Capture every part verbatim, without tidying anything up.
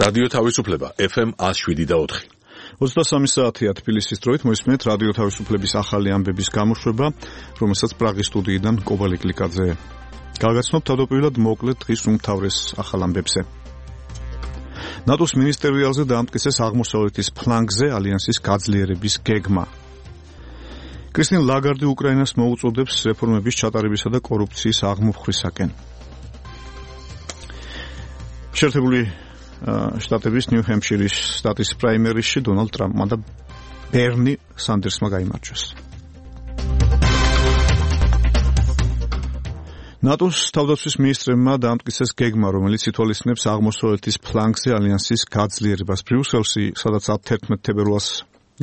რადიო თავისუფლება ეფ ემ ათს შვიდი და ოთხი. ოცდასამი საათია თბილისის დროით მოისმენთ რადიო თავისუფლების ახალი ამბების გამოშვება, რომელსაც პრაღის სტუდიიდან კობალე გლიკაძე გაგაცნობთ თავდაპირველად მოკლედ დღის უმთავრეს ახალ ამბებზე. ნატოს მინისტერიალზე დაამტკიცეს აღმოსავლეთის ფლანგზე ალიანსის გაძლიერების გეგმა. კრისტინ ლაგარდი უკრაინას მოუწოდებს რეფორმების ჩატარებისა და კორუფციის აღმოფხვისაკენ. შეერთებული შტატების ნიუ-ჰემპშირის შტატის პრაიმერისში დონალდ ტრამპმა და ბერნი სანდერსმა გაიმარჯვეს. ნატოს თავდაცვის მინისტრებმა დაამტკიცეს გეგმა, რომელიც ითვალისწინებს აღმოსავლეთის ფლანგზე ალიანსის გაძლიერებას. ბრიუსელში, სადაც თერთმეტ თებერვალს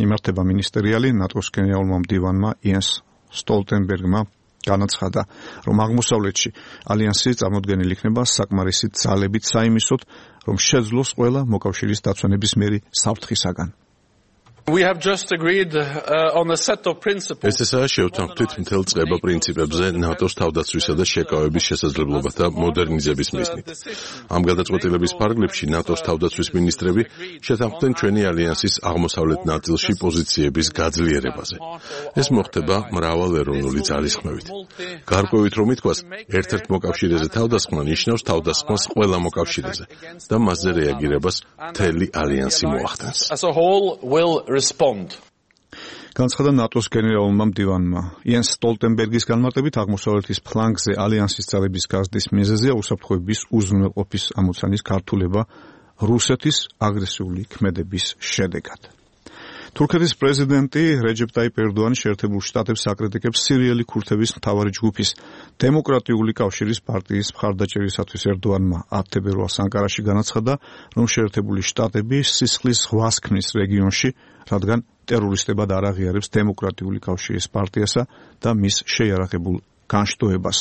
იმართება მინისტერიალი, ნატოს გენერალურმა მდივანმა იენს სტოლტენბერგმა განაცხადა, რომ აღმოსავლეთში ალიანსი წარმოდგენილი იქნება საკმარისი ძალებით საიმისოდ, რომ შეძლოს ყველა მოკავშირის დაცვენებისმიერი საფრთხისაგან. We have just agreed uh, on a set of principles. ეს ესაა შევთანხმდით მთელ წყება პრინციპებზე ნატოს თავდაცვისა და შეკავების შესაძლებლობათა მოდერნიზების მიზნით. ამ გადაწყვეტილების ფარგლებში ნატოს თავდაცვის მინისტრები შეთანხმდნენ ჩვენი ალიანსის აღმოსავლეთ ნაწილში პოზიციების გაძლიერებაზე. ეს მოხდება მრავალეროვნული ძალისხმევით. გარკვევით რომ ითქვას, ერთ-ერთ მოკავშირეზე თავდასხმა ნიშნავს თავდასხმას ყველა მოკავშირეზე და მასზე რეაგირებას მთელი ალიანსი მოახდენს. Respond. განცხადა ნატოს გენერალურმა მდივანმა. იენს სტოლტენბერგის განმარტებით აღმოსავლეთის ფლანგზე ალიანსის ძალების გაზრდის მიზეზია უსაფრთხოების უზრუნველყოფის ამოცანის გართულება რუსეთის აგრესიული ქმედების შედეგად. თურქეთის პრეზიდენტი რეჯეპ ტაიპ ერდოანი შეერთებულ შტატებს აკრიტიკებს სირიელი ქურთების მთავარი ჯგუფის დემოკრატიული კავშირის პარტიის მხარდაჭერისათვის. ერდოანმა ათი თებერვალს ანკარაში განაცხადა, რომ შეერთებული შტატები სისხლის ზღვას ქმნის რეგიონში, რადგან ტერორისტებად არ აღიარებს დემოკრატიული კავშირის პარტიასა და მის შეიარაღებულ განშტოებას.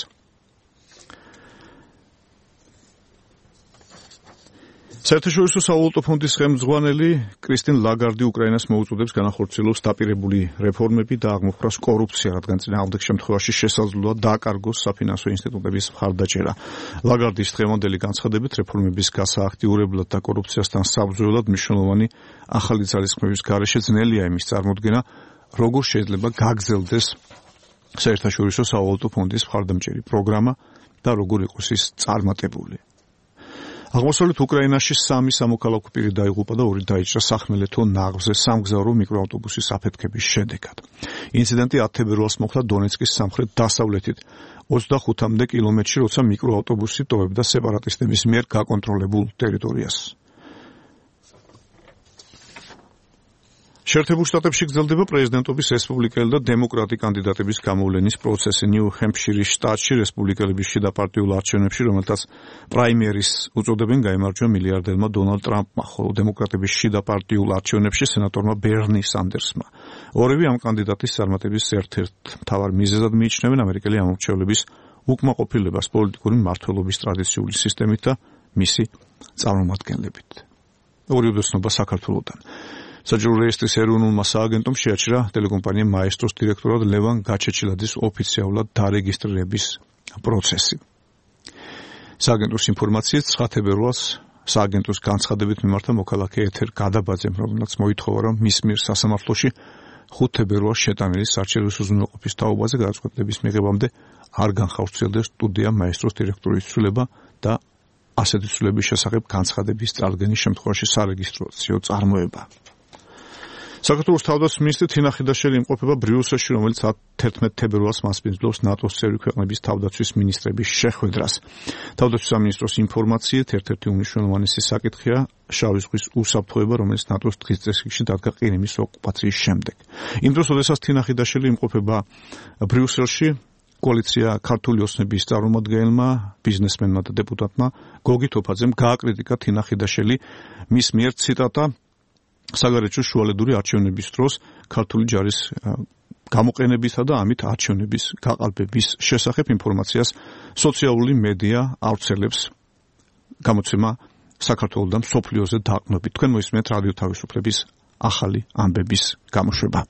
საერთაშორისო სავალუტო ფონდის ხელმძღვანელი კრისტინ ლაგარდი უკრაინას მოუწოდებს განახორციელოს დაპირებული რეფორმები და აღმოფხვრას კორუფცია, რადგან წინააღმდეგ შემთხვევაში შესაძლოა დააკარგოს საფინანსო ინსტიტუტების მხარდაჭერა. ლაგარდის დღევანდელი განცხადებით რეფორმების გასააქტიურებლად და კორუფციასთან საბრძოლოდ მნიშვნელოვანი ახალი ძალისხმევის გარეშე ძნელია იმის წარმოდგენა, როგორ შეიძლება გაგრძელდეს საერთაშორისო სავალუტო ფონდის მხარდამჭერი პროგრამა და როგორ იყოს ის წარმატებული. აღმოსავლეთ უკრაინაში სამი სამოქალაქო პირი დაიღუპა და ორი დაიჭრა სახმელეთო ნაღზე სამგზავრო მიკროავტობუსის აფეთქების შედეგად. ინციდენტი ათი თებერვალს მოხდა დონეცკის სამხრეთ-დასავლეთით ოცდახუთამდე კილომეტრში, როცა მიკროავტობუსი ტოვებდა სეპარატისტების მიერ გაკონტროლებულ ტერიტორიას. შეერთებულ შტატებში გრძელდება პრეზიდენტობის რესპუბლიკელი და დემოკრატი კანდიდატების გამოვლენის პროცესი. ნიუ-ჰემპშირის შტატში რესპუბლიკელების შიდა პარტიულ არჩევნებში, რომელთაც პრაიმერის უწოდებენ, გაიმარჯვა მილიარდერმა დონალდ ტრამპმა, ხოლო დემოკრატების შიდა პარტიულ არჩევნებში სენატორმა ბერნი სანდერსმა. ორივე ამ კანდიდატის წარმატების ერთ-ერთ მთავარ მიზეზად მიიჩნევენ ამერიკელი ამომრჩევლების უკმაყოფილებას პოლიტიკური მმართველობის ტრადიციული სისტემით და მისი წარმომადგენლებით. ორი უდესნობა საქართველოდან. საჯარო რეესტრის ეროვნულმა სააგენტომ შეაჩერა ტელეკომპანია მაესტროს დირექტორად ლევან გაჩეჩილაძის ოფიციალურად დარეგისტრირების პროცესი. სააგენტოს ინფორმაციით ცხრა თებერვალს სააგენტოს განცხადებით მიმართა მოქალაქე ეთერ გადაბაძემ, რომელსაც მოითხოვა, რომ მის მიერ სასამართლოში ხუთი თებერვალს შეტანილი საარჩევნო უზრუნველყოფის თაობაზე გადაწყვეტილების მიღებამდე არ განხორციელდეს სტუდია მაესტროს დირექტორის ცვლილება და ასეთი ცვლილების შესახებ განცხადების წარდგენის შემთხვევაში სარეგისტრაციო წარმოება. საქართველოს თავდაცვის მინისტრი თინა ხიდაშელი იმყოფება ბრიუსელში, რომელიც თერთმეტ თებერვალს მასპინძლობს ნატოს წევრი ქვეყნების თავდაცვის მინისტრების შეხვედრას. თავდაცვის სამინისტროს ინფორმაციით ერთ-ერთი უმნიშვნელოვანესი საკითხია შავი ზღვის უსაფრთხოება, რომელიც ნატოს დღის წესრიგში დადგა ყირიმის ოკუპაციის შემდეგ. იმ დროს, როდესაც თინა ხიდაშელი იმყოფება ბრიუსელში, კოალიცია ქართული ოცნების წარმომადგენელმა, ბიზნესმენმა და დეპუტატმა გოგი თოფაძემ გააკრიტიკა თინა ხიდაშელი მის მიერ ციტატა საგარეჯო შუალედური არჩევნების დროს ქართული ჯარის გამოყენებისა და ამით არჩევნების გაყალბების შესახებ ინფორმაციას სოციალური მედია ავრცელებს. გამოცემა საქართველოს და მსოფლიოზე დაყრდნობით. თქვენ მოისმენთ რადიო თავისუფლების ახალი ამბების გამოშვება.